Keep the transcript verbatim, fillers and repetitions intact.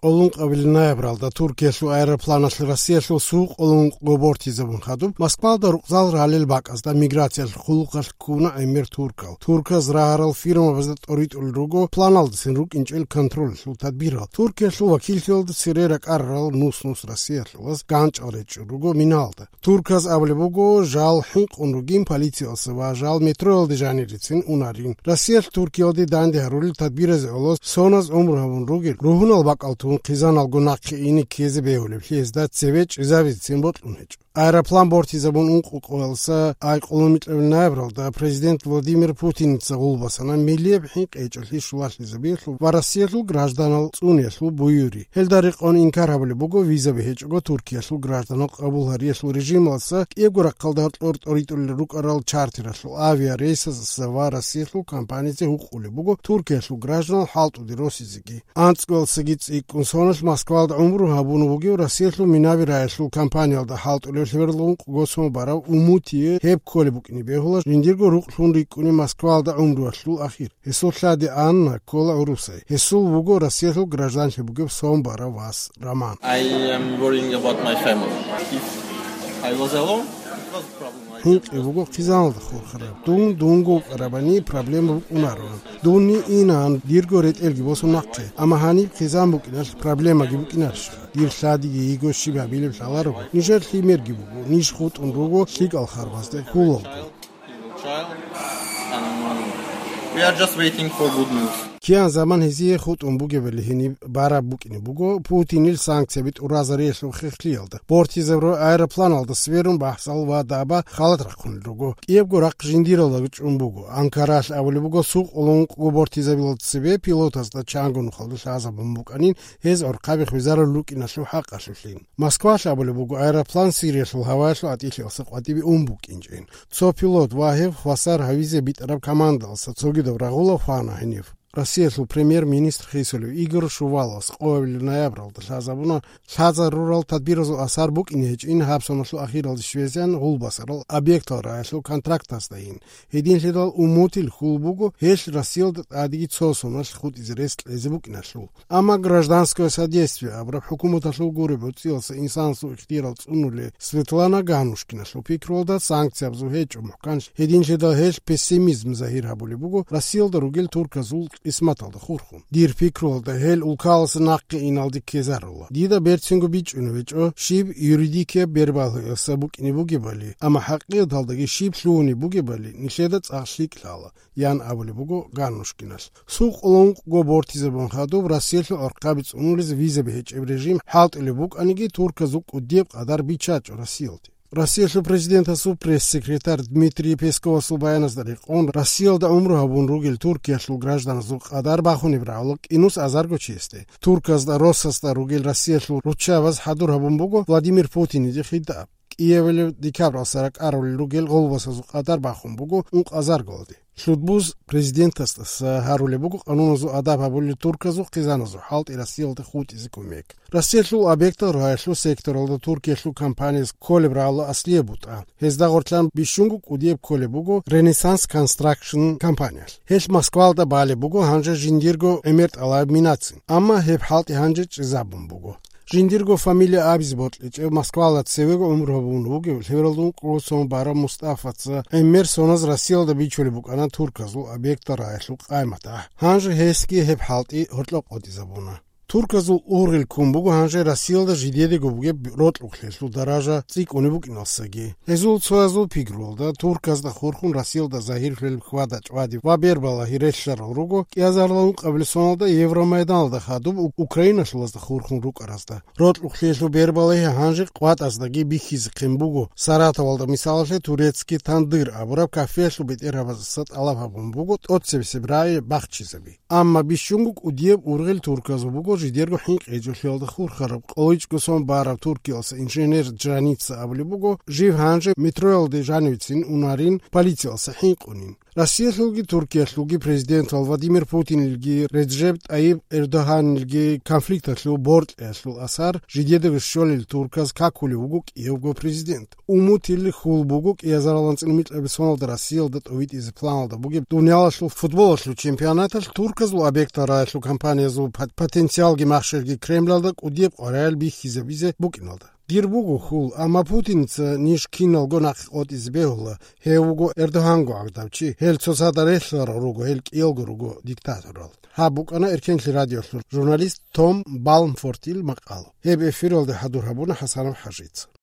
Къоло ункъабилеб ноябралда Туркиялъул аэропланалъ Россиялъул суд къоло ункъго бортизабун хадуб, Москвалда рукъзал ралел бакӀазда миграциялъул хъулухъалъ ккуна гӀемер туркал. Турказ рагьарал фирмабазда тӀоритӀулел руго планалдасин рукӀинчӀел контролалъул тадбирал. Туркиялъул вакиллъиялда цере ракӀарарал нус-нус Россиялъулаз ганчӀал речӀчӀун руго миналда. Турказ абулеб буго, жал хӀинкъун ругин полициялъа ва жал метроялде жанирицин унарин. Россиялъ Туркиялде данде гьарулел тадбиразе гӀоло соназ гӀумру гьабун ругел, ругьунал бакӀал тун хъизаналго нахъе ине ккезе бегьулеблъи гьезда цеве чӀезабицин бокьун гьечӀо. Аэроплан бортизабун ункъо къоялъа ай къоло микьабилеб ноябралда президент Владимир Путиница гъулбасана миллияб хӀинкъи гьечӀолъи щулалъизабиялъул ва Россиялъул гражданал цӀуниялъул буюри. Гьелда рекъон инкар гьабулеб буго визаби гьечӀого Туркиялъул гражданал къабул гьариялъул режималъа кӀиябго рахъалда гьоркьор тӀоритӀулел рукӀарал чартералъул авиарейсазаса ва Россиялъул компанизе гьукъулеб буго Туркиялъул гражданал хӀалтӀуде росизеги. АнцӀгоялдасаги цӀикӀкӀун соналъ Москвалда гӀумру гьабун вугев Россиялъул минаби рагӀиялъул компаниялда хӀалтӀулев лъебералда ункъго сон барав Умутие гьеб кколеб букӀине бегьула жиндирго рукълъун рикӀкӀунеб Москвалда гӀумруялъул ахир. Гьесул лъади Анна ккола гӀурусай. Гьесул вуго Россиялъул гражданлъи бугеб сон барав вас Роман. I am worrying about my family. If I was alone, it was a problem. I ХӀинкъи буго хъизаналда хурхараб. Дун дунго вукӀарабани проблема букӀунаро. Дунни инаан дирго ретӀелги босун нахъе, амма гьаниб хъизан букӀиналъ проблемаги букӀинарищха? Дир лъадиги йиго щиб гьабилеб лъаларого. Нижер лъимерги буго, ниж хутӀун руго лъикӀал харбазде хьулалго. Child, and we are just waiting for good news. Киян заман гьезие хутӀун бугебали гьениб бараб букӀине буго Путинил санкцияби тӀуразариялъул хехлъиялда. Бортизабураб аэропланалда сверун бахӀсал ва даба халат рахъунел руго. КӀиябго рахъ жиндиралда чӀун буго. Анкаралъ абулеб буго, суд къоло ункъго бортизабилалда цебе пилотазда чанго нухалда лъазабун букӀанин, гьез гӀорхъаби хвезарулел рукӀиналъул хӀакъалъулъин. Москвалъ абулеб буго, аэроплан Сириялъул гьаваялъул гӀатӀилъиялдаса къватӀибе ун букӀинчӀин. Цо пилот ва гьев хвасар гьавизе битӀараб командалъа цогидаб рагъула хвана гьенив. Россиялъул премьер-министр хисулев Игорь Шуваловас къоабилеб ноябралда лъазабуна, лъазарурал тадбиразул асар букӀине гьечӀин гьаб соналъул ахиралде щвезегӀан гъулбасарал объектал рагӀиялъул контрактаздайин. Гьединлъидал Умутил хьул буго гьелъ Россиялда тӀадеги цо соналъ хутӀизе рес кьезе букӀиналъул. Амма гражданское содействие абураб хӀукуматалъул гуреб гӀуцӀиялъа инсанасул ихтияр цӀунулел Светлана Ганнушкиналъул пикруялда санкциябазул гьечӀо мухӀкан, гьединлъидал гьелъ пессимизм загьир гьабулеб буго Россиялда ругел турказул къисматалда хурхун. Дир пикруялда гьел улкаласа нахъе иналде ккезарула. Дида берцинго бичӀчӀунеб гьечӀо, щиб юридикияб бербалъиялъа букӀине бугебали, амма хӀакъикъаталдаги щиб лъугьунеб бугебали нилъеда цӀакъ лъикӀ лъала, ян абулеб буго Ганнушкиналъ. Суд къоло ункъго бортизабун хадуб Россиялъул гӀорхъаби цӀунулез визаби гьечӀеб режим хӀалтӀулеб букӀаниги, турказул кӀудияб къадар биччачӀо Россиялде. Россиялъул президентасул пресс-секретарь Дмитрий Песковасул баяназда рекъон, Россиялда гӀумру гьабун ругел Туркиялъул гражданазул къадар бахунеб рагӀула кӀинус азарго чиясде. Турказда Россосда ругел Россиялъул руччабаз хӀадур гьабун буго Владимир Путиниде хитӀаб. КӀиабилеб декабралъа ракӀарулел ругел гъолбасазул къадар бахун буго ункъазаргалде. Лъудбуз президентасдаса гьарулеб буго къануназул адаб гьабулел турказул хъизаназул хӀалтӀи Россиялде хутӀизе кумек. Россиялъул объектал рагӀиялъул секторалда Туркиялъул компанияс кколеб рагӀула аслияб бутӀа. Гьезда гъорлъан бищунго кӀудияб кколеб буго Renaissance Construction компаниялъ. Гьелъ Москвалда балеб буго гьанже жиндирго гӀемер тӀалаб минацин, амма гьеб хӀалтӀи гьанже чӀезабун буго. Жиндирго фамилия абизе бокьичӀев Москвалда цевего гӀумру гьабун вугев лъебералда ункъго сон барав Мустафаца гӀемер соназ Россиялда бичулеб букӀана турказул объектал рагӀиялъул къайматахӀ. Гьанже гьесги гьеб хӀалтӀи гьоркьоб къотӀизабуна. Турказул ургъел ккун буго гьанже Россиялда жидедаго бугеб рокьукълъиялъул даража цӀикӀкӀунеб букӀиналсаги. Гьезул цоязул пикруялда, турказда хурхун Россиялда загьирлъулеб хьвада-чӀвади ва бербалагьи релълъарал руго кӀиазарилан ункъабилеб соналда Евромайданалда хадуб у-, украиналъулазда хурхун рукӀаразда. Рокьукълъиялъул бербалагьи гьанже къватӀаздаги бихьизехъин буго, Саратовалда, мисалалъе, Турецкий тандыр абураб кафеялъул бетӀергьабаздаса тӀалаб гьабун буго тӀоцебесеб рагӀи бахчизаби. Амма бищунго кӀудияб ургъел турказул буго жидерго хӀинкъи гьечӀолъиялда хурхараб, къоло ичӀго сон бараб Туркиялъа инженер Джаница абулеб буго, жив гьанже метроялде жанивецин унарин, полициялъа хӀинкъунин. Россиялъулги Туркиялъулги президентал Владимир Путинилги Реджеп Тайип Эрдогьанилги конфликталъул боркьиялъул асар жидедаго щолел турказ какулев вуго кӀиявго президент. Умутил хьул буго кӀиазарал анцӀила микьабилеб соналда Россиялда тӀовитӀизе планалда бугеб дуниялалъул футболалъул чемпионаталъ турказул объектал рагӀалъул компаниязул пот-, потенциалги махщелги Кремлалда кӀудияб къваригӀел бихьизабизе букӀиналда. Дир буго хьул, амма Путинца ниж киналго нахъе къотӀизе бегьула, гьев вуго Эрдогьанго гӀагардав чи, гьел цоцазда релълъарал руго, гьел кӀиялго руго диктаторал. Гьаб букӀана Эркенлъи радиолъул журналист Том Балмфортил макъала. Гьеб эфиралде хӀадур гьабуна ХӀасанов ХӀажица.